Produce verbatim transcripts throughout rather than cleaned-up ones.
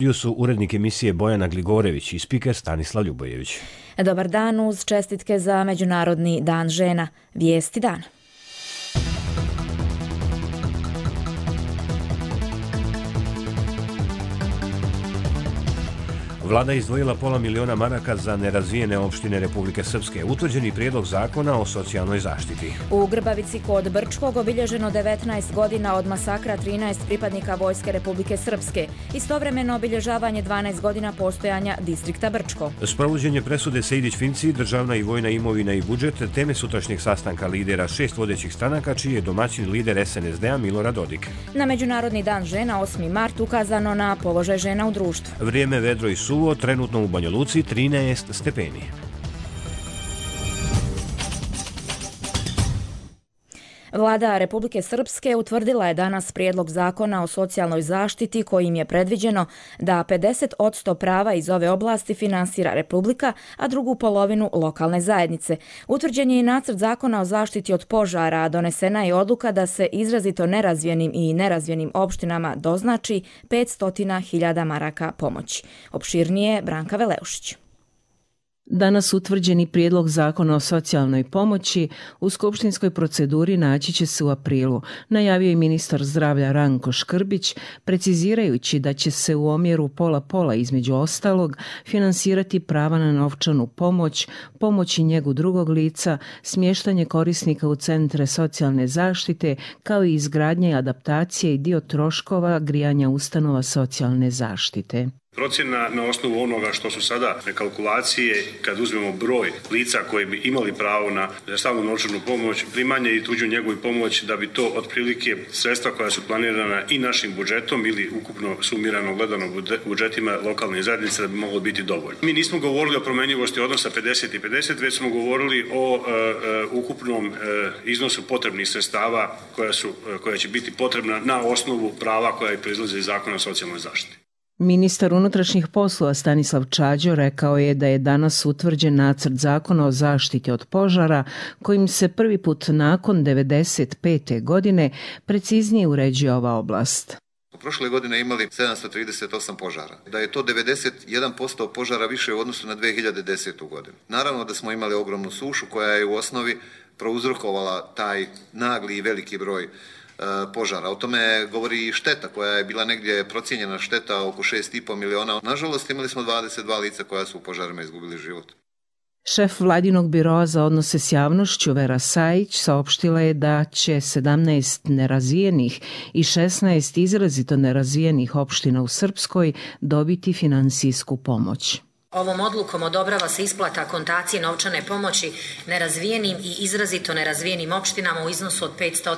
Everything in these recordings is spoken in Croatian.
Tu su urednik emisije Bojana Gligorević i spiker Stanislav Ljubojević. Dobar dan uz čestitke za Međunarodni dan žena. Vijesti dana. Vlada je izdvojila pola miliona maraka za nerazvijene opštine Republike Srpske. Utvrđeni prijedlog zakona o socijalnoj zaštiti. U Grbavici kod Brčkog obilježeno devetnaest godina od masakra trinaest pripadnika Vojske Republike Srpske. Istovremeno obilježavanje dvanaest godina postojanja distrikta Brčko. Sprovođenje presude Sejdić-Finci, državna i vojna imovina i budžet, teme sutrašnjeg sastanka lidera šest vodećih stranaka, čiji je domaćin lider es en es de a Milorad Dodik. Na Međunarodni dan žena osmi mart ukazano na položaj žena u društvu. Vrijeme vedro i suvo, trenutno u Banja Luci trinaest stepeni. Vlada Republike Srpske utvrdila je danas prijedlog zakona o socijalnoj zaštiti kojim je predviđeno da pedeset posto prava iz ove oblasti finansira Republika, a drugu polovinu lokalne zajednice. Utvrđen je i nacrt zakona o zaštiti od požara, a donesena je odluka da se izrazito nerazvijenim i nerazvijenim opštinama doznači petsto hiljada maraka pomoći. Opširnije Branka Veleušić. Danas utvrđeni prijedlog zakona o socijalnoj pomoći u skupštinskoj proceduri naći će se u aprilu, najavio je ministar zdravlja Ranko Škrbić, precizirajući da će se u omjeru pola-pola između ostalog finansirati prava na novčanu pomoć, pomoć i njegu drugog lica, smještanje korisnika u centre socijalne zaštite, kao i izgradnja i adaptacije i dio troškova grijanja ustanova socijalne zaštite. Procjena na osnovu onoga što su sada kalkulacije, kad uzmemo broj lica koji bi imali pravo na stalnu novčanu pomoć, primanje i tuđu njegu i pomoć, da bi to otprilike sredstva koja su planirana i našim budžetom ili ukupno sumirano gledano budžetima lokalne zajednice da bi moglo biti dovoljno. Mi nismo govorili o promjenjivosti odnosa pedeset i pedeset, već smo govorili o uh, uh, ukupnom uh, iznosu potrebnih sredstava koja, su, uh, koja će biti potrebna na osnovu prava koja proizlaze iz zakona o socijalnoj zaštiti. Ministar unutrašnjih poslova Stanislav Čađo rekao je da je danas utvrđen nacrt zakona o zaštiti od požara kojim se prvi put nakon devedeset pete godine preciznije uređuje ova oblast. U prošle godine imali sedamsto trideset osam požara. Da je to devedeset jedan posto požara više u odnosu na dvije hiljade desetu godinu. Naravno da smo imali ogromnu sušu koja je u osnovi prouzrokovala taj nagli i veliki broj požara. O tome govori i šteta koja je bila negdje procijenjena šteta oko šest i pol miliona. Nažalost imali smo dvadeset dva lica koja su u požarima izgubili život. Šef Vladinog biroa za odnose s javnošću Vera Sajić saopštila je da će sedamnaest nerazvijenih i šesnaest izrazito nerazvijenih opština u Srpskoj dobiti finansijsku pomoć. Ovom odlukom odobrava se isplata akontacije novčane pomoći nerazvijenim i izrazito nerazvijenim opštinama u iznosu od petsto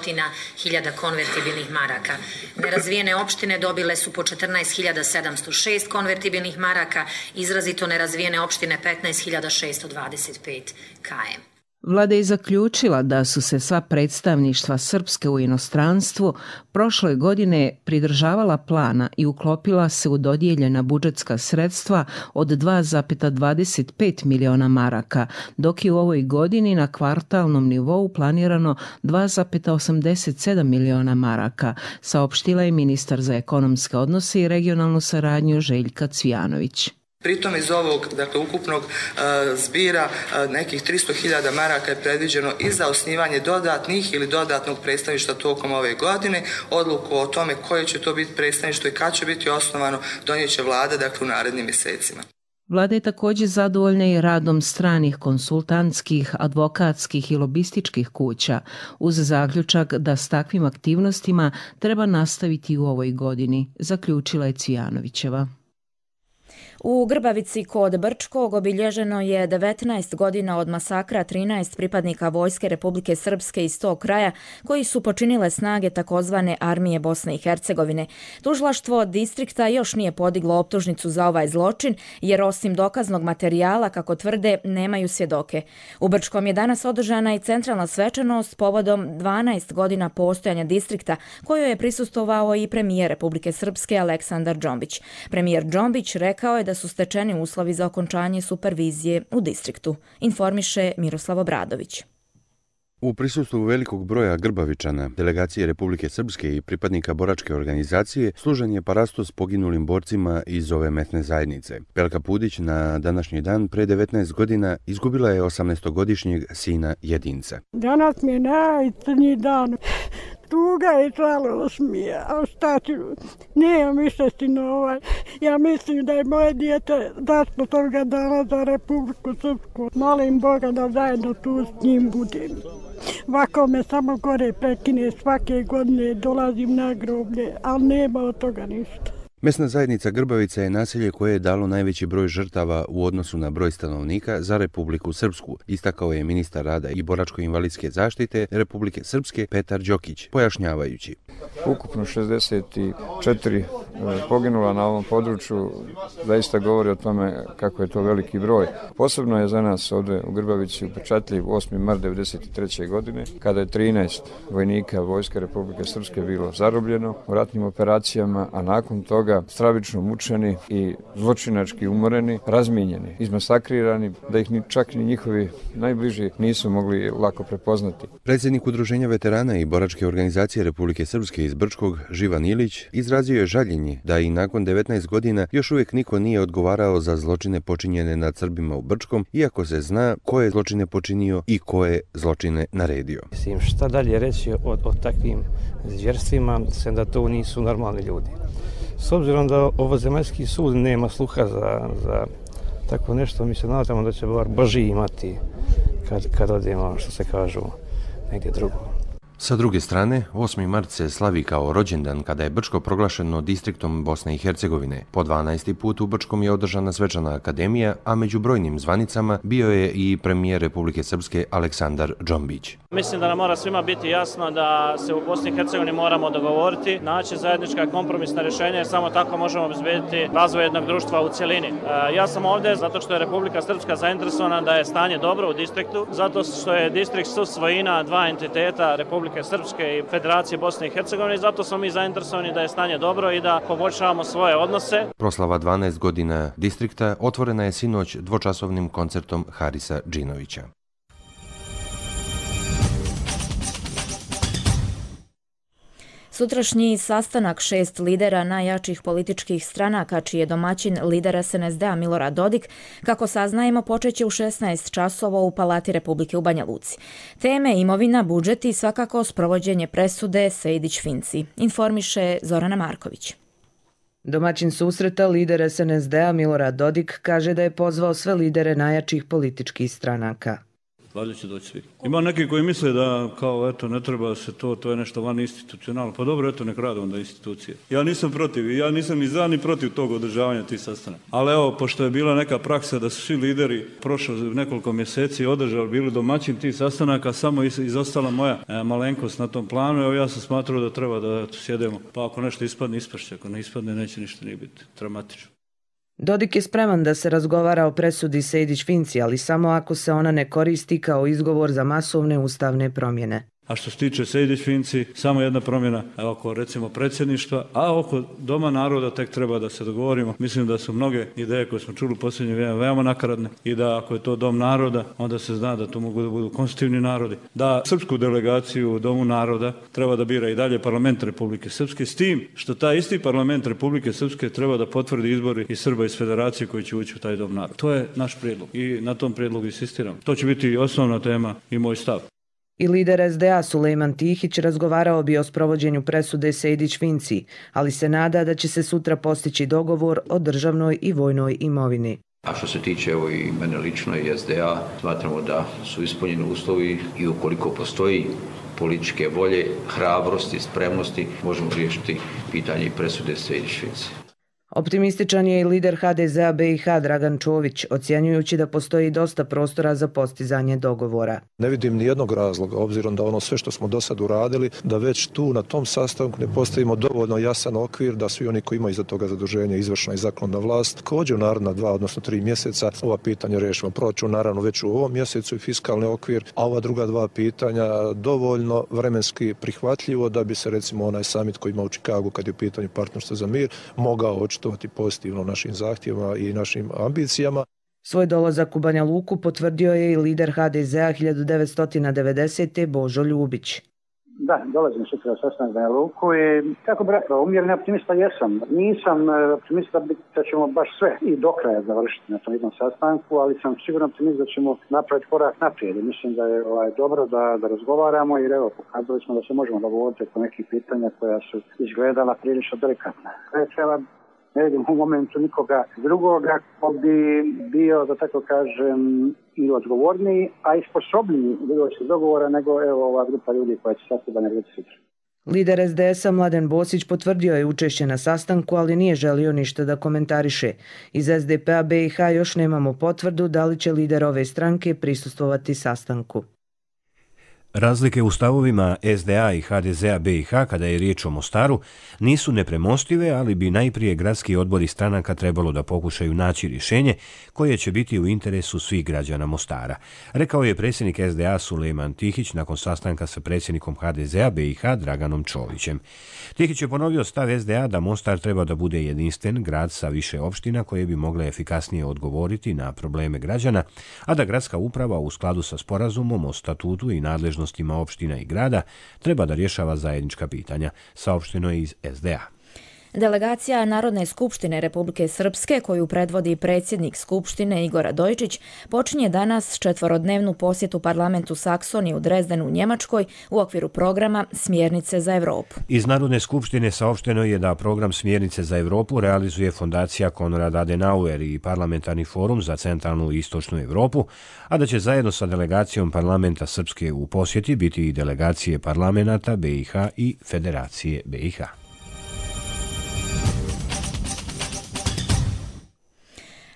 hiljada konvertibilnih maraka. Nerazvijene opštine dobile su po četrnaest hiljada sedamsto šest konvertibilnih maraka, izrazito nerazvijene opštine petnaest hiljada šesto dvadeset pet km. Vlada je zaključila da su se sva predstavništva Srpske u inostranstvu prošle godine pridržavala plana i uklopila se u dodijeljena budžetska sredstva od dva zarez dvadeset pet miliona maraka, dok je u ovoj godini na kvartalnom nivou planirano dva zarez osamdeset sedam miliona maraka, saopštila je ministar za ekonomske odnose i regionalnu saradnju Željka Cvijanović. Pritom iz ovog, dakle, ukupnog uh, zbira uh, nekih tristo hiljada maraka je predviđeno i za osnivanje dodatnih ili dodatnog predstavništva tokom ove godine. Odluku o tome koje će to biti predstavništvo i kad će biti osnovano donijet će vlada, dakle, u narednim mjesecima. Vlada je također zadovoljna i radom stranih konsultantskih, advokatskih i lobističkih kuća, uz zaključak da s takvim aktivnostima treba nastaviti u ovoj godini, zaključila je Cvijanovićeva. U Grbavici kod Brčkog obilježeno je devetnaest godina od masakra trinaest pripadnika Vojske Republike Srpske iz tog kraja koji su počinile snage takozvane Armije Bosne i Hercegovine. Tužilaštvo distrikta još nije podiglo optužnicu za ovaj zločin jer osim dokaznog materijala, kako tvrde, nemaju svjedoke. U Brčkom je danas održana i centralna svečanost povodom dvanaest godina postojanja distrikta kojoj je prisustvovao i premijer Republike Srpske Aleksandar Džombić. Premijer Džombić rekao je da su stečeni uslovi za okončanje supervizije u distriktu, informiše Miroslav Obradović. U prisustvu velikog broja Grbavičana, delegacije Republike Srpske i pripadnika boračke organizacije, služen je parastos poginulim borcima iz ove mesne zajednice. Pelka Pudić na današnji dan pre devetnaest godina izgubila je osamnaestogodišnjeg sina jedinca. Danas mi je najcrnji dan. Tuga i žalost mi je, a šta ću, nemam više sinova. Ja mislim da je moje dijete dašlo toga dana za Republiku Srpsku. Molim Boga da zajedno tu s njim budem. Ovako me samo gore prekine, svake godine dolazim na groblje, ali nema od toga ništa. Mesna zajednica Grbavica je naselje koje je dalo najveći broj žrtava u odnosu na broj stanovnika za Republiku Srpsku, istakao je ministar rada i boračko-invalidske zaštite Republike Srpske Petar Đokić, pojašnjavajući. Ukupno šezdeset četiri poginula na ovom području, zaista govori o tome kako je to veliki broj. Posebno je za nas ovdje u Grbavici upečatljiv osmi mart devedeset treće godine, kada je trinaest vojnika Vojske Republike Srpske bilo zarobljeno u ratnim operacijama, a nakon toga stravično mučeni i zločinački umoreni, razmijenjeni, izmasakrirani, da ih ni, čak ni njihovi najbliži nisu mogli lako prepoznati. Predsjednik Udruženja veterana i boračke organizacije Republike Srpske iz Brčkog, Živan Ilić, izrazio je žaljenje da i nakon devetnaest godina još uvijek niko nije odgovarao za zločine počinjene nad Srbima u Brčkom, iako se zna ko je zločine počinio i ko je zločine naredio. Mislim, šta dalje reći o, o takvim zvjerstvima, sem da to nisu normalni ljudi. S obzirom da ovozemaljski sud nema sluha za, za tako nešto, mi se nadamo da će bar Boži imati kad, kad odemo, što se kažu, negdje drugo. Sa druge strane, osmi mart se slavi kao rođendan kada je Brčko proglašeno distriktom Bosne i Hercegovine. Po dvanaesti put u Brčkom je održana svečana akademija, a među brojnim zvanicama bio je i premijer Republike Srpske Aleksandar Džombić. Mislim da nam mora svima biti jasno da se u Bosni i Hercegovini moramo dogovoriti, naći zajednička kompromisna rješenja, jer samo tako možemo obezbediti razvoj jednog društva u cjelini. Ja sam ovdje zato što je Republika Srpska zainteresovana da je stanje dobro u distriktu, zato što je distrikt susvojina dva entiteta Republike Srpske i Federacije Bosne i Hercegovine i zato smo mi zainteresovani da je stanje dobro i da poboljšavamo svoje odnose. Proslava dvanaest godina distrikta otvorena je sinoć dvočasovnim koncertom Harisa Džinovića. Sutrašnji sastanak šest lidera najjačih političkih stranaka, čiji je domaćin lider es en es de a Milorad Dodik, kako saznajemo, počeće u šesnaest časova u Palati Republike u Banja Luci. Teme imovina, budžet i svakako sprovođenje presude Sejdić-Finci, informiše Zorana Marković. Domaćin susreta, lider es en es de a Milorad Dodik, kaže da je pozvao sve lidere najjačih političkih stranaka. Valjda će doći svi. Ima neki koji misle da kao eto ne treba se to, to je nešto van institucionalno. Pa dobro, eto nek rade onda institucije. Ja nisam protiv, ja nisam ni za ni protiv tog održavanja tih sastanaka. Ali evo, pošto je bila neka praksa da su svi lideri prošlo nekoliko mjeseci održali, bili domaćin tih sastanaka, samo izostala moja e, malenkost na tom planu. Evo ja sam smatrao da treba da eto, sjedemo, pa ako nešto ispadne, ispašće. Ako ne ispadne, neće ništa nije biti dramatično. Dodik je spreman da se razgovara o presudi Sejdić-Finci, ali samo ako se ona ne koristi kao izgovor za masovne ustavne promjene. A što se tiče Sejdić-Finci, samo jedna promjena oko recimo predsjedništva, a oko Doma naroda tek treba da se dogovorimo. Mislim da su mnoge ideje koje smo čuli u posljednje vrijeme veoma nakaradne i da ako je to Dom naroda, onda se zna da to mogu da budu konstitutivni narodi. Da srpsku delegaciju u Domu naroda treba da bira i dalje parlament Republike Srpske, s tim što taj isti parlament Republike Srpske treba da potvrdi izbori i Srba iz Federacije koji će ući u taj Dom naroda. To je naš prijedlog i na tom prijedlogu insistiram. To će biti osnovna tema i moj stav. I lider es de a Sulejman Tihić razgovarao bi o sprovođenju presude Sejdić-Finci, ali se nada da će se sutra postići dogovor o državnoj i vojnoj imovini. A što se tiče evo i mene lično i es de a, smatramo da su ispunjeni uslovi i ukoliko postoji političke volje, hrabrosti, spremnosti, možemo riješiti pitanje presude Sejdić-Finci. Optimističan je i lider ha de ze a be i ha Dragan Čović, ocjenjujući da postoji dosta prostora za postizanje dogovora. Ne vidim ni jednog razloga, obzirom da ono sve što smo do sad uradili, da već tu na tom sastanku ne postavimo dovoljno jasan okvir da svi oni koji imaju iza toga zaduženja, izvršna i zakonodavna vlast, također u naredna dva, odnosno tri mjeseca ova pitanja rešimo. Proračun naravno već u ovom mjesecu i fiskalni okvir, a ova druga dva pitanja dovoljno vremenski prihvatljivo da bi se recimo onaj summit koji ima u Čikagu kad je u pitanju partnerstva za mir mogao očitovati pozitivno našim zahtjevima i našim ambicijama. Svoj dolazak u Banja Luku potvrdio je i lider ha de zea hiljadu devetsto devedesete. Božo Ljubić. Da, dolazim sutra sa sastanak Banja Luku i kako bi rekao, umjereni optimista jesam. Nisam optimista da ćemo baš sve i do kraja završiti na tom jednom sastanku, ali sam sigurno optimist da ćemo napraviti korak naprijed. Mislim da je ovaj, dobro da, da razgovaramo jer evo, pokazali smo da se možemo dogovoriti oko nekih pitanja koja su izgledala prilično delikatna. Treba ne vidim u momentu nikoga drugoga ko bi bio, da tako kažem, i odgovorniji, a i sposobniji do dogovora nego evo ova grupa ljudi koja će sastavljati ljudi sutra. Lider es de esa Mladen Bosić potvrdio je učešće na sastanku, ali nije želio ništa da komentariše. Iz es de pe-a be i ha još nemamo potvrdu da li će lider ove stranke prisustvovati sastanku. Razlike u stavovima es de a i ha de zea be i ha kada je riječ o Mostaru nisu nepremostive, ali bi najprije gradski odbori stranaka trebalo da pokušaju naći rješenje koje će biti u interesu svih građana Mostara, rekao je predsjednik es de a Sulejman Tihić nakon sastanka sa predsjednikom ha de zea be i ha Draganom Čovićem. Tihić je ponovio stav es de a da Mostar treba da bude jedinstven grad sa više opština koje bi mogle efikasnije odgovoriti na probleme građana, a da gradska uprava u skladu sa sporazumom o statutu i nadležnostima opština i grada treba da rješava zajednička pitanja, saopšteno je iz es de a. Delegacija Narodne skupštine Republike Srpske, koju predvodi predsjednik Skupštine Igor Radojičić, počinje danas četvorodnevnu posjetu parlamentu Saksonije u Drezdenu u Njemačkoj u okviru programa Smjernice za Evropu. Iz Narodne skupštine saopšteno je da program Smjernice za Evropu realizuje fondacija Konrad Adenauer i Parlamentarni forum za centralnu i istočnu Evropu, a da će zajedno sa delegacijom parlamenta Srpske u posjeti biti i delegacije parlamenta be i ha i Federacije be i ha.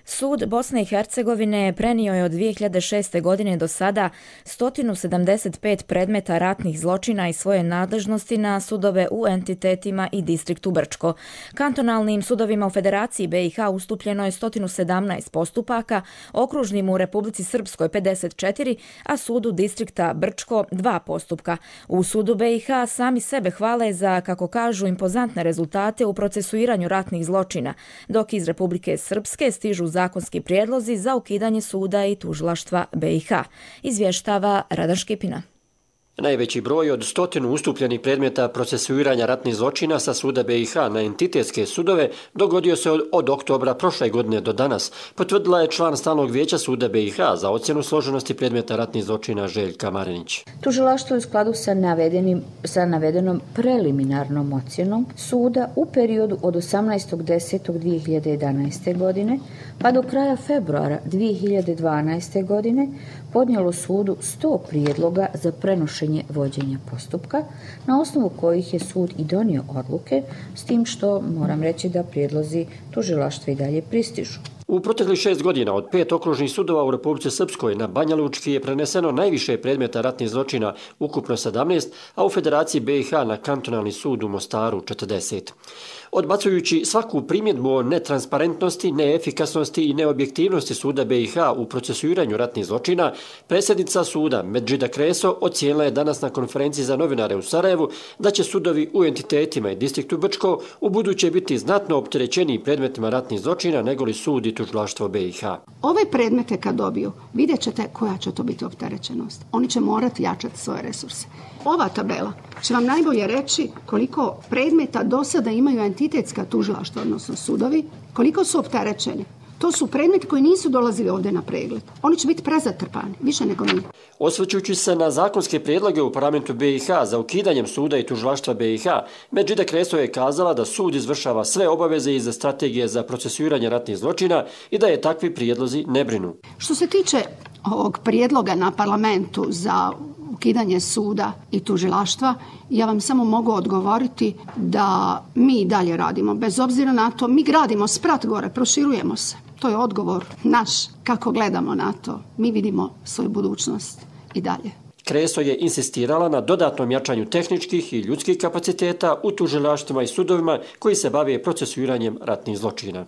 Sud Bosne i Hercegovine prenio je od dvije hiljade šeste. godine do sada sto sedamdeset pet predmeta ratnih zločina i svoje nadležnosti na sudove u entitetima i distriktu Brčko. Kantonalnim sudovima u Federaciji be i ha ustupljeno je sto sedamnaest postupaka, okružnim u Republici Srpskoj pedeset četiri, a sudu distrikta Brčko dva postupka. U sudu be i ha sami sebe hvale za, kako kažu, impozantne rezultate u procesuiranju ratnih zločina, dok iz Republike Srpske stižu zakonski prijedlozi za ukidanje suda i tužilaštva be i ha, izvještava Radan Škipina. Najveći broj od stotinu ustupljenih predmeta procesuiranja ratnih zločina sa suda be i ha na entitetske sudove dogodio se od, od oktobra prošle godine do danas, potvrdila je član stalnog vijeća suda be i ha za ocjenu složenosti predmeta ratnih zločina Željka Marinić. Tužilaštvo je u skladu sa, navedenim, sa navedenom preliminarnom ocjenom suda u periodu od osamnaestog desetog dvije hiljade jedanaeste. godine pa do kraja februara dvije hiljade dvanaeste. godine podnijelo sudu sto prijedloga za prenošenje vođenja postupka, na osnovu kojih je sud i donio odluke, s tim što moram reći da prijedlozi tužilaštva i dalje pristižu. U proteklih šest godina od pet okružnih sudova u Republici Srpskoj na Banja Lučki je preneseno najviše predmeta ratnih zločina, ukupno sedamnaest, a u Federaciji be i ha na kantonalni sud u Mostaru četrdeset. Odbacujući svaku primjedbu o netransparentnosti, neefikasnosti i neobjektivnosti suda be i ha u procesuiranju ratnih zločina, predsjednica suda Medžida Kreso ocijenila je danas na konferenciji za novinare u Sarajevu da će sudovi u entitetima i distriktu Brčko u buduće biti znatno opterećeniji predmetima ratnih zločina nego li sud i tužilaštvo be i ha. Ove predmete kad dobiju, vidjet ćete koja će to biti opterećenost. Oni će morati jačati svoje resurse. Ova tabela će vam najbolje reći koliko predmeta do sada imaju entitetska tužilaštva, odnosno sudovi, koliko su opterećeni. To su predmeti koji nisu dolazili ovdje na pregled. Oni će biti prezatrpani, više nego mi. Osvrćujući se na zakonske prijedloge u parlamentu be i ha za ukidanjem suda i tužilaštva be i ha, Medžida Kreso je kazala da sud izvršava sve obaveze iz strategije za procesuiranje ratnih zločina i da je takvi prijedlozi ne brinu. Što se tiče ovog prijedloga na parlamentu za ukidanje suda i tužilaštva, ja vam samo mogu odgovoriti da mi i dalje radimo. Bez obzira na to, mi gradimo sprat gore, proširujemo se. To je odgovor naš kako gledamo na to. Mi vidimo svoju budućnost i dalje. Kreso je insistirala na dodatnom jačanju tehničkih i ljudskih kapaciteta u tužilaštvima i sudovima koji se bave procesuiranjem ratnih zločina.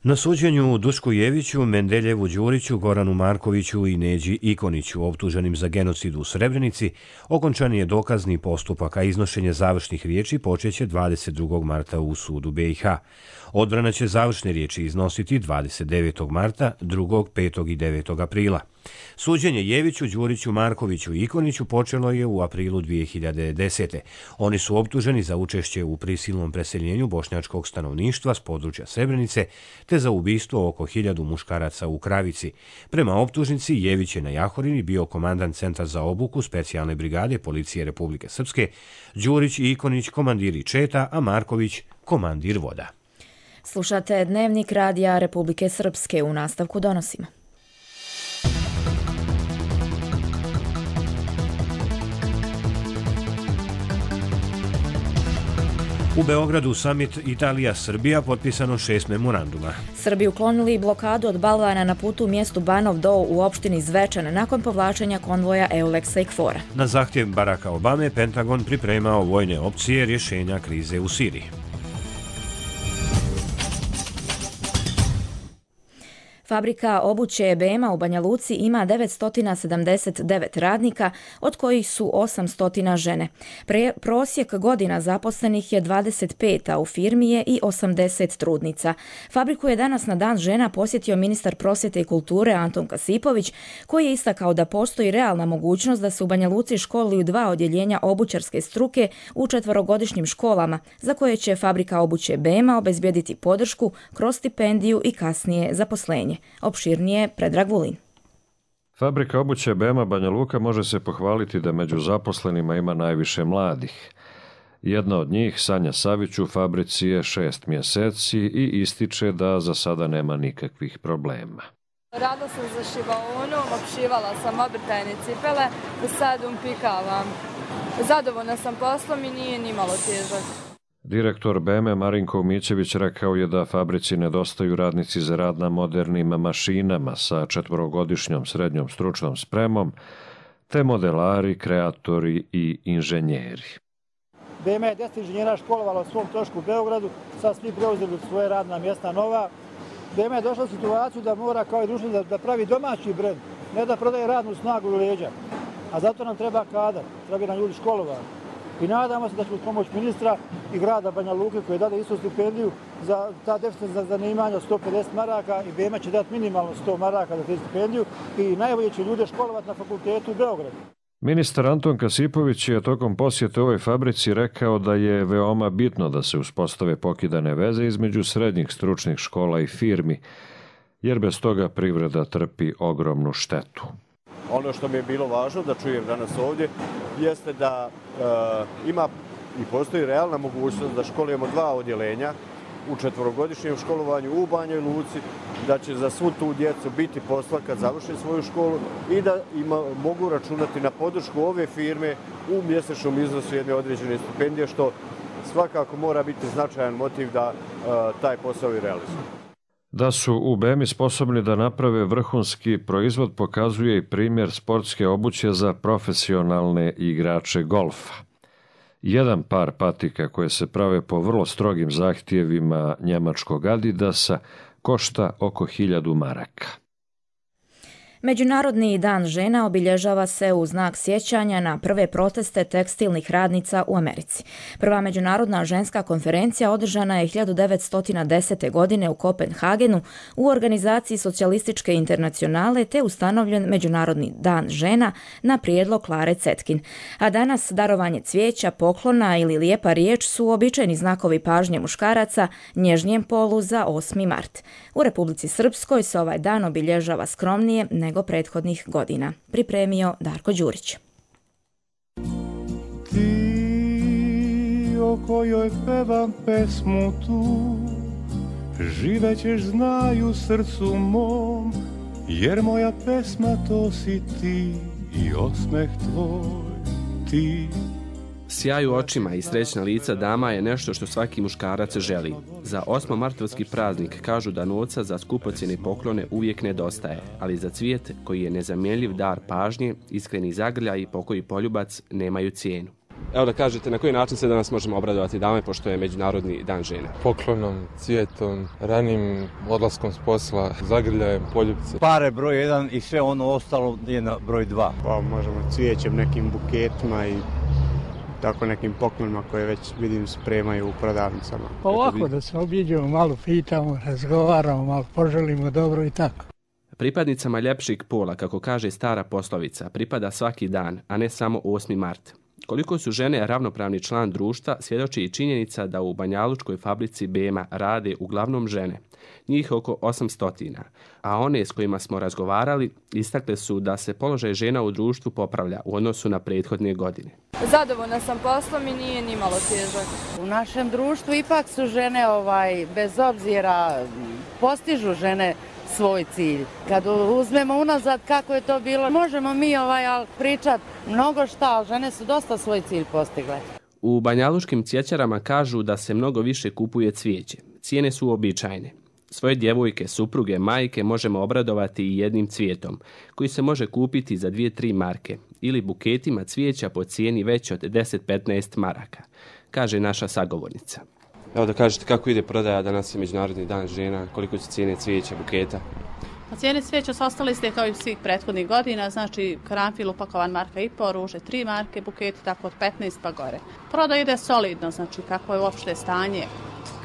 Na suđenju Dušku Jeviću, Mendeljevu Đuriću, Goranu Markoviću i Neđi Ikoniću, optuženim za genocid u Srebrenici, okončan je dokazni postupak, a iznošenje završnih riječi počeće dvadeset drugog marta u sudu B i H. Odbrana će završne riječi iznositi dvadeset devetog marta, drugog, petog i devetog aprila. Suđenje Jeviću, Đuriću, Markoviću i Ikoniću počelo je u aprilu dvije hiljade desete. Oni su optuženi za učešće u prisilnom preseljenju bošnjačkog stanovništva s područja Srebrenice te za ubistvo oko hiljadu muškaraca u Kravici. Prema optužnici, Jević je na Jahorini bio komandant Centra za obuku specijalne brigade Policije Republike Srpske, Đurić i Ikonić komandiri četa, a Marković komandir voda. Slušate Dnevnik radija Republike Srpske, u nastavku donosimo. U Beogradu samit Italija-Srbija potpisano šest memoranduma. Srbi uklonili blokadu od balvana na putu u mjestu Banov Do u opštini Zvečan nakon povlačenja konvoja Euleksa i Kfora. Na zahtjev Baracka Obame, Pentagon pripremao vojne opcije rješenja krize u Siriji. Fabrika obuće B M A u Banja Luci ima devetsto sedamdeset devet radnika, od kojih su osamsto žene. Pre, prosjek godina zaposlenih je dvadeset pet, a u firmi je i osamdeset trudnica. Fabriku je danas na Dan žena posjetio ministar prosvjete i kulture Anton Kasipović, koji je istakao da postoji realna mogućnost da se u Banja Luci školuju dva odjeljenja obućarske struke u četverogodišnjim školama, za koje će fabrika obuće B M A obezbijediti podršku kroz stipendiju i kasnije zaposlenje. Opširnije Predrag Vulin. Fabrika obuće B M A Banja Luka može se pohvaliti da među zaposlenima ima najviše mladih. Jedna od njih, Sanja Savić, u fabrici je šest mjeseci i ističe da za sada nema nikakvih problema. Radila sam za šivaonom, opšivala sam obrtajne cipele, sad umpikavam. Zadovoljna sam poslom i nije ni malo težak. Direktor B M A Marinko Umićević rekao je da fabrici nedostaju radnici za rad na modernim mašinama sa četvorogodišnjom srednjom stručnom spremom, te modelari, kreatori i inženjeri. B M A je deset inženjera školovala u svom trošku u Beogradu, sad svi preuzeli svoje radna mjesta nova. B M A je došla u situaciju da mora kao i društvo da, da pravi domaći brend, ne da prodaje radnu snagu u leđa. A zato nam treba kadar, treba nam ljudi školovani. I nadamo se da ćemo uz pomoć ministra i grada Banja Luke, koji je dade istu stipendiju za ta deficitna zanimanja sto pedeset maraka, i B M A će dati minimalno sto maraka za te stipendiju i najbolje će ljude školovati na fakultetu u Beogradu. Ministar Anton Kasipović je tokom posjete ovoj fabrici rekao da je veoma bitno da se uspostave pokidane veze između srednjih stručnih škola i firmi, jer bez toga privreda trpi ogromnu štetu. Ono što mi je bilo važno da čujem danas ovdje jeste da e, ima i postoji realna mogućnost da školujemo dva odjeljenja u četvorogodišnjem školovanju u Banjoj Luci, da će za svu tu djecu biti posla kad završe svoju školu i da ima, mogu računati na podršku ove firme u mjesečnom iznosu jedne određene stipendije, što svakako mora biti značajan motiv da e, taj posao i realizuje. Da su u B M I sposobni da naprave vrhunski proizvod pokazuje i primjer sportske obuće za profesionalne igrače golfa. Jedan par patika koje se prave po vrlo strogim zahtjevima njemačkog Adidasa košta oko hiljadu maraka. Međunarodni dan žena obilježava se u znak sjećanja na prve proteste tekstilnih radnica u Americi. Prva međunarodna ženska konferencija održana je hiljadu devetsto desete. godine u Kopenhagenu u organizaciji Socijalističke internacionale, te ustanovljen Međunarodni dan žena na prijedlog Klare Cetkin. A danas darovanje cvijeća, poklona ili lijepa riječ su običajni znakovi pažnje muškaraca nježnijem polu za osmi mart. U Republici Srpskoj se ovaj dan obilježava skromnije nego nego prethodnih godina. Pripremio Darko Đurić. Ti o kojoj pevam pesmu tu, živećeš znaju srcu mom, jer moja pesma to si ti i osmeh tvoj ti. Sjaj u očima i srećna lica dama je nešto što svaki muškarac želi. Za osmomartovski praznik kažu da novca za skupocjene poklone uvijek nedostaje, ali za cvijet, koji je nezamjenljiv dar pažnje, iskreni zagrljaj i pokoji poljubac nemaju cijenu. Evo da kažete na koji način se danas možemo obradovati dame, pošto je Međunarodni dan žena. Poklonom, cvijetom, ranim odlaskom s posla, zagrljajem, poljupce. Pare broj jedan i sve ono ostalo je na broj dva. Pa možemo cvijećem, nekim buketima i tako nekim poklonima koje već vidim spremaju u prodavnicama. Pa ovako da se obiđemo, malo pitamo, razgovaramo, malo poželimo dobro i tako. Pripadnicama ljepšeg pola, kako kaže stara poslovica, pripada svaki dan, a ne samo osmi mart. Koliko su žene ravnopravni član društva, svjedoči i činjenica da u banjalučkoj fabrici Bema rade uglavnom žene, njih oko osamsto, a one s kojima smo razgovarali istakle su da se položaj žena u društvu popravlja u odnosu na prethodne godine. Zadovoljna sam poslom i nije ni malo težak. U našem društvu ipak su žene, ovaj, bez obzira, postižu žene svoj cilj. Kad uzmemo unazad kako je to bilo, možemo mi ovaj, pričati mnogo šta, ali žene su dosta svoj cilj postigle. U banjalučkim cvjećarama kažu da se mnogo više kupuje cvijeće. Cijene su uobičajene. Svoje djevojke, supruge, majke možemo obradovati i jednim cvijetom, koji se može kupiti za dvije tri marke, ili buketima cvijeća po cijeni već od deset do petnaest maraka, kaže naša sagovornica. Evo da kažete kako ide prodaja, danas je Međunarodni dan žena, koliko su cijene cvijeća, buketa? Cijene cvijeća su ostale iste kao i svih prethodnih godina, znači karanfil upakovan marka i po, ruže tri marke, buketi tako od petnaest pa gore. Prodaja ide solidno, znači kako je uopšte stanje,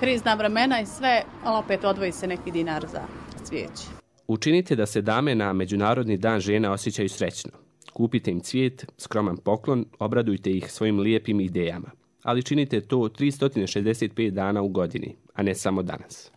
krizna vremena i sve, ali opet odvoji se neki dinar za cvijeće. Učinite da se dame na Međunarodni dan žena osjećaju srećno. Kupite im cvijet, skroman poklon, obradujte ih svojim lijepim idejama. Ali činite to tristo šezdeset pet dana u godini, a ne samo danas.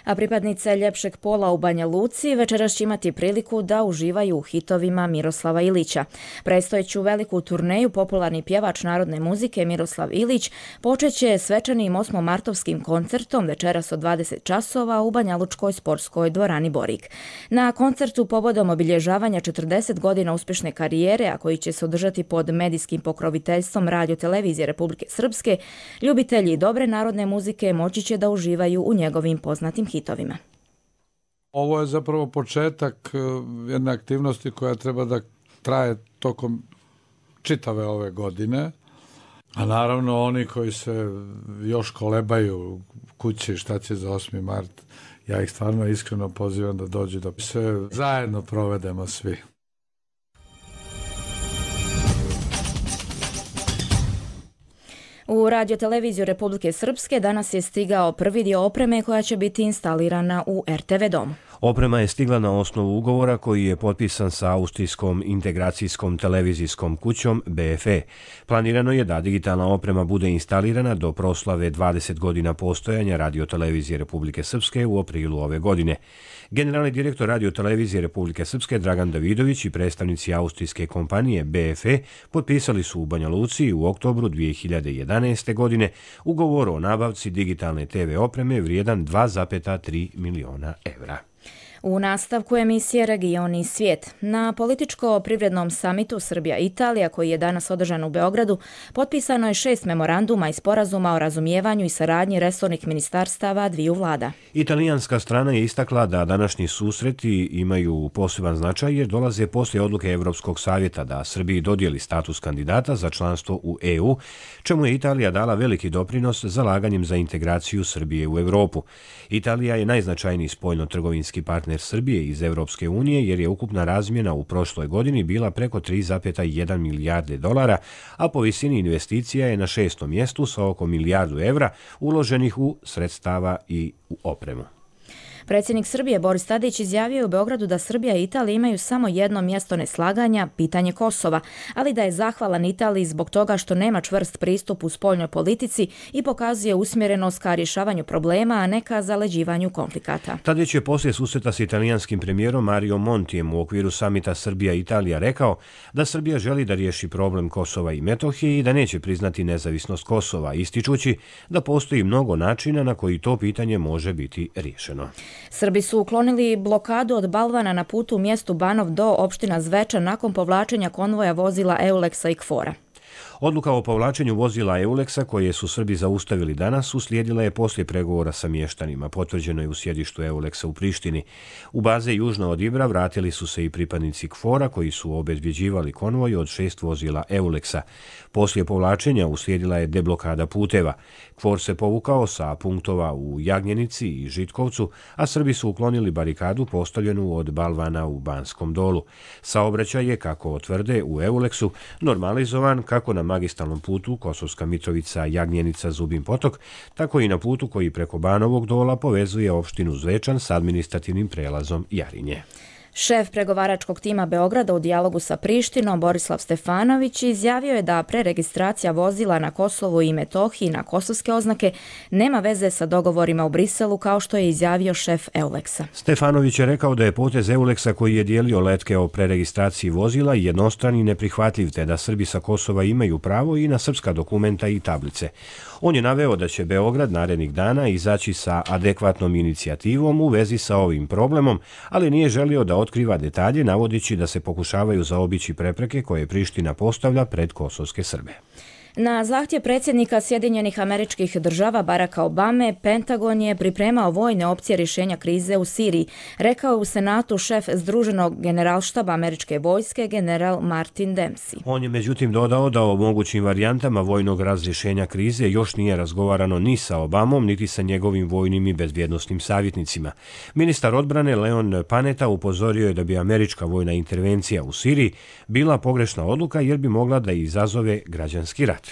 A pripadnice ljepšeg pola u Banja Luci večeras će imati priliku da uživaju u hitovima Miroslava Ilića. Predstojeću veliku turneju popularni pjevač narodne muzike Miroslav Ilić počeće svečanim osmomartovskim koncertom večeras od dvadeset časova u Banjalučkoj sportskoj dvorani Borik. Na koncertu povodom obilježavanja četrdeset godina uspješne karijere, a koji će se održati pod medijskim pokroviteljstvom Radio-televizije Republike Srpske, ljubitelji dobre narodne muzike moći će da uživaju u njegovim poznatim hitovima. Ovo je zapravo početak jedne aktivnosti koja treba da traje tokom čitave ove godine, a naravno oni koji se još kolebaju kući šta će za osmi mart, ja ih stvarno iskreno pozivam da dođu da se zajedno provedemo svi. U Radio-televiziju Republike Srpske danas je stigao prvi dio opreme koja će biti instalirana u er te ve domu. Oprema je stigla na osnovu ugovora koji je potpisan sa austrijskom integracijskom televizijskom kućom be ef e. Planirano je da digitalna oprema bude instalirana do proslave dvadeset godina postojanja Radio-televizije Republike Srpske u aprilu ove godine. Generalni direktor Radio-televizije Republike Srpske Dragan Davidović i predstavnici austrijske kompanije be ef e potpisali su u Banja Luci u oktobru dvije hiljade jedanaeste. godine ugovor o nabavci digitalne te ve opreme vrijedan dva zarez tri miliona evra. U nastavku emisije Region i svijet. Na političko-privrednom samitu Srbija-Italija, koji je danas održan u Beogradu, potpisano je šest memoranduma i sporazuma o razumijevanju i saradnji resornih ministarstava dviju vlada. Italijanska strana je istakla da današnji susreti imaju poseban značaj jer dolaze poslije odluke Evropskog savjeta da Srbiji dodijeli status kandidata za članstvo u e u, čemu je Italija dala veliki doprinos zalaganjem za integraciju Srbije u Evropu. Italija je najznačajniji spoljno-trgovinski partner Srbije iz Evropske unije jer je ukupna razmjena u prošloj godini bila preko tri zarez jedan milijarde dolara, a po visini investicija je na šestom mjestu sa oko milijardu evra uloženih u sredstava i u opremu. Predsjednik Srbije Boris Tadić izjavio je u Beogradu da Srbija i Italija imaju samo jedno mjesto neslaganja, pitanje Kosova, ali da je zahvalan Italiji zbog toga što nema čvrst pristup u spoljnoj politici i pokazuje usmjerenost ka rješavanju problema, a ne ka zaleđivanju konflikata. Tadić je poslije susreta s italijanskim premijerom Mario Montijem u okviru samita Srbija-Italija rekao da Srbija želi da riješi problem Kosova i Metohije i da neće priznati nezavisnost Kosova, ističući da postoji mnogo načina na koji to pitanje može biti riješeno. Srbi su uklonili blokadu od balvana na putu u mjestu Banov do opština Zvečan nakon povlačenja konvoja vozila Euleksa i Kfora. Odluka o povlačenju vozila Euleksa koje su Srbi zaustavili danas uslijedila je poslije pregovora sa mještanima. Potvrđeno je u sjedištu Euleksa u Prištini. U baze južno od Ibra vratili su se i pripadnici KFOR-a koji su obezbjeđivali konvoj od šest vozila Euleksa. Poslije povlačenja uslijedila je deblokada puteva. KFOR se povukao sa punktova u Jagnjenici i Žitkovcu, a Srbi su uklonili barikadu postavljenu od balvana u Banskom Dolu. Saobraćaj je, kako tvrde u Euleksu, normalizovan kako na magistralnom putu Kosovska Mitrovica, Jagnjenica, Zubin Potok, tako i na putu koji preko Banovog Dola povezuje opštinu Zvečan s administrativnim prelazom Jarinje. Šef pregovaračkog tima Beograda u dijalogu sa Prištinom, Borislav Stefanović, izjavio je da preregistracija vozila na Kosovu i Metohiji na kosovske oznake nema veze sa dogovorima u Briselu, kao što je izjavio šef Euleksa. Stefanović je rekao da je potez Euleksa koji je dijelio letke o preregistraciji vozila jednostran i neprihvatljiv, te da Srbi sa Kosova imaju pravo i na srpska dokumenta i tablice. On je naveo da će Beograd narednih dana izaći sa adekvatnom inicijativom u vezi sa ovim problemom, ali nije želio da otkriva detalje, navodeći da se pokušavaju zaobići prepreke koje Priština postavlja pred kosovske Srbe. Na zahtjev predsjednika Sjedinjenih Američkih Država Baracka Obame, Pentagon je pripremao vojne opcije rješenja krize u Siriji, rekao je u Senatu šef Združenog generalštaba američke vojske, general Martin Dempsey. On je međutim dodao da o mogućim varijantama vojnog razrješenja krize još nije razgovarano ni sa Obamom, niti sa njegovim vojnim i bezbjednosnim savjetnicima. Ministar odbrane Leon Panetta upozorio je da bi američka vojna intervencija u Siriji bila pogrešna odluka jer bi mogla da izazove građanski rat.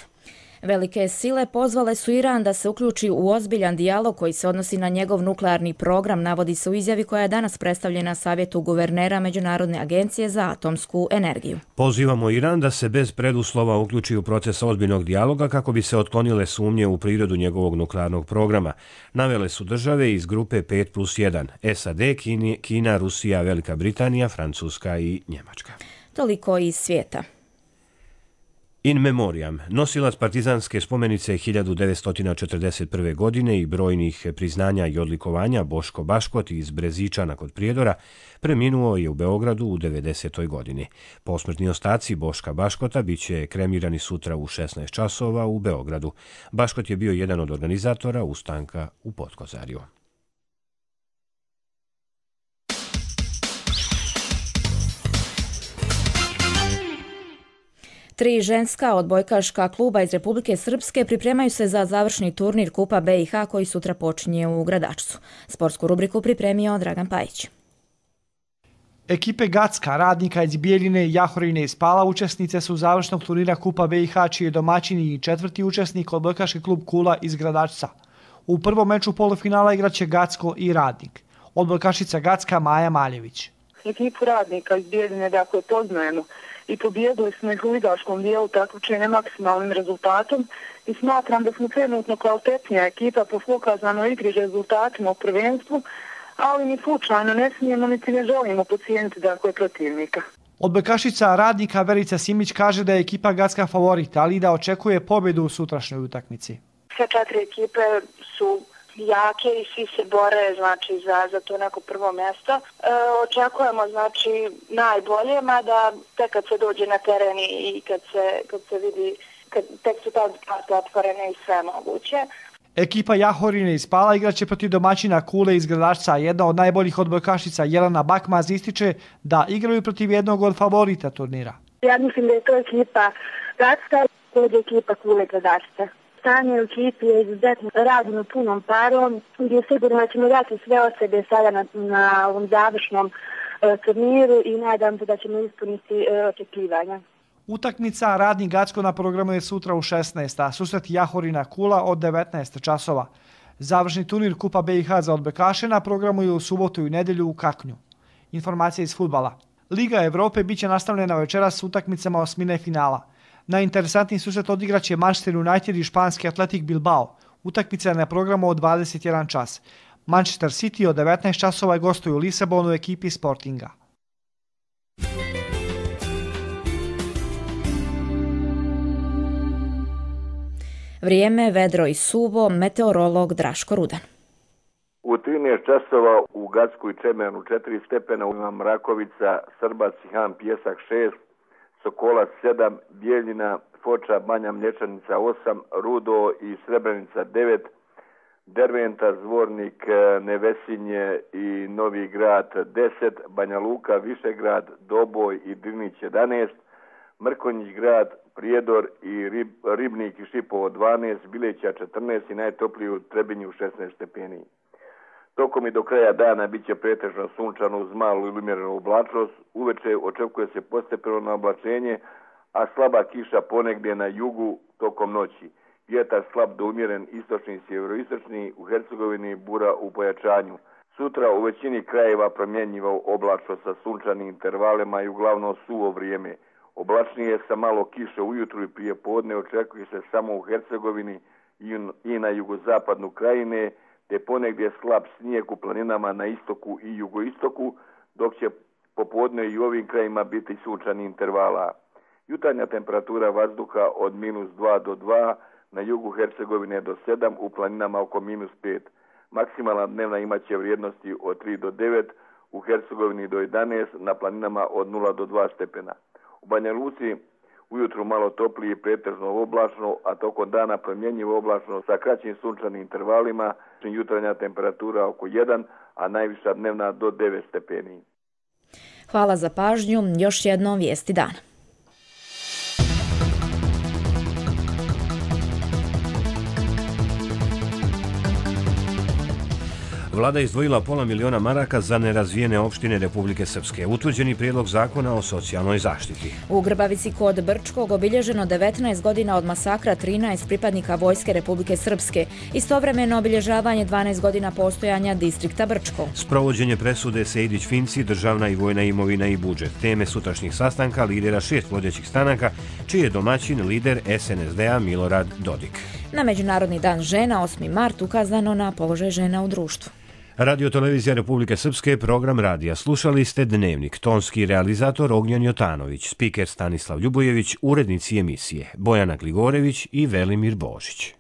Velike sile pozvale su Iran da se uključi u ozbiljan dijalog koji se odnosi na njegov nuklearni program, navodi se u izjavi koja je danas predstavljena Savjetu guvernera Međunarodne agencije za atomsku energiju. Pozivamo Iran da se bez preduslova uključi u proces ozbiljnog dijaloga kako bi se otklonile sumnje u prirodu njegovog nuklearnog programa. Navele su države iz grupe pet plus jedan, S A D, Kina, Rusija, Velika Britanija, Francuska i Njemačka. Toliko iz svijeta. In memoriam, nosilac partizanske spomenice hiljadu devetsto četrdeset prve. godine i brojnih priznanja i odlikovanja Boško Baškot iz Brezičana kod Prijedora preminuo je u Beogradu u devedesetoj. godini. Posmrtni ostaci Boška Baškota biće kremirani sutra u šesnaest časova u Beogradu. Baškot je bio jedan od organizatora ustanka u Potkozarju. Tri ženska odbojkaška kluba iz Republike Srpske pripremaju se za završni turnir Kupa B i H koji sutra počinje u Gradačcu. Sportsku rubriku pripremio Dragan Pajić. Ekipe Gacka, Radnika iz Bijeljine, Jahorine i Spala učesnice su završnog turnira Kupa B i H, čiji je domaćini i četvrti učesnik odbojkaški klub Kula iz Gradačca. U prvom meču polufinala igraće Gacko i Radnik. Odbojkašica Gacka Maja Maljević. Ekipu Radnika iz Bijeljine dakle poznajemo i pobijedili smo ih u ligaškom dijelu takmičenja maksimalnim rezultatom i smatram da smo trenutno kvalitetnija ekipa po pokazanoj igri rezultatima u prvenstvu, ali ni slučajno ne smijemo niti ne želimo podcijeniti dakle protivnika. Odbojkašica Radnika Verica Simić kaže da je ekipa Gacka favorita, ali i da očekuje pobjedu u sutrašnjoj utakmici. Sve četiri ekipe su jake i svi se bore znači za za to neko prvo mjesto. E, očekujemo znači najbolje, mada tek kad se dođe na teren i kad se kad se vidi kad tek su tad karte otvorene i sve moguće. Ekipa Jahorine iz Spala igraće protiv domaćina Kule iz Gradačca. Jedna od najboljih odbojkašica Jelena Bakmaz ističe da igraju protiv jednog od favorita turnira. Ja mislim da je to ekipa Gacka, to je ekipa Kule Gradačca. Stanje u ekipi je izuzetno, radimo punom parom, gdje sigurno da ćemo dati sve od sebe sada na, na ovom završnom e, turniru i nadam se da ćemo ispuniti e, očekivanja. Utakmica Radnik Gacko na programu je sutra u šesnaest, a susret Jahorina Kula od devetnaest časova. Završni turnir Kupa B i H za odbojkaše na programu je u subotu i nedjelju u Kaknju. Informacija iz fudbala. Liga Evrope biće nastavljena večeras s utakmicama osmine finala. Najinteresantniji susret odigraće Manchester United i španski Atletik Bilbao. Utakmica je na programu od dvadeset jedan čas. Manchester City od devetnaest časova gostuju u Lisabonu u ekipi Sportinga. Vrijeme, vedro i suvo, meteorolog Draško Rudan. U trinaest časova u Gacku i Čemenu četiri stepena, ima Mrakovica, Srbac i Han Pjesak šest, Sokolac sedam, Bijeljina, Foča, Banja Mlječanica osam, Rudo i Srebrenica devet, Derventa, Zvornik, Nevesinje i Novi Grad deset, Banja Luka, Višegrad, Doboj i Drnić jedanaest, Mrkonjić Grad, Prijedor i Rib, Ribnik i Šipovo dvanaest, Bileća četrnaest i najtopliji u Trebinju šesnaest stepeni. Tokom i do kraja dana bit će pretežno sunčano uz malu ili umjerenu oblačnost, uveče očekuje se postepeno oblačenje, a slaba kiša ponegdje na jugu tokom noći. Vjetar slab do umjeren istočni i sjeveroistočni, u Hercegovini bura u pojačanju. Sutra u većini krajeva promjenjivo oblačno sa sunčanim intervalima i uglavnom suvo vrijeme. Oblačnije sa malo kiše ujutru i prije podne očekuje se samo u Hercegovini i na jugozapadnu krajine, te ponegdje slab snijeg u planinama na istoku i jugoistoku, dok će popodne i u ovim krajima biti sunčani intervala. Jutarnja temperatura vazduha od minus dva do dva, na jugu Hercegovine do sedam, u planinama oko minus pet. Maksimalna dnevna imaće vrijednosti od tri do devet, u Hercegovini do jedanaest, na planinama od nula do dva stepena. U Banja Luci ujutru malo toplije i pretežno oblačno, a tokom dana promjenjivo oblačno sa kraćim sunčanim intervalima, jutarnja temperatura oko jedan, a najviša dnevna do devet stepeni. Hvala za pažnju, još jednom vijesti dana. Vlada je izdvojila pola miliona maraka za nerazvijene opštine Republike Srpske. Utvrđeni prijedlog zakona o socijalnoj zaštiti. U Grbavici kod Brčkog obilježeno devetnaest godina od masakra trinaest pripadnika Vojske Republike Srpske. Istovremeno obilježavanje dvanaest godina postojanja distrikta Brčko. Sprovođenje presude Sejdić-Finci, državna i vojna imovina i budžet. Teme sutrašnjih sastanka lidera šest vodećih stranaka, čiji je domaćin lider es en es de a Milorad Dodik. Na Međunarodni dan žena, osmi mart, ukazano na položaj žena u društvu. Radio Televizija Republike Srpske, program radija. Slušali ste Dnevnik, tonski realizator Ognjan Jotanović, spiker Stanislav Ljubojević, urednici emisije Bojana Gligorević i Velimir Božić.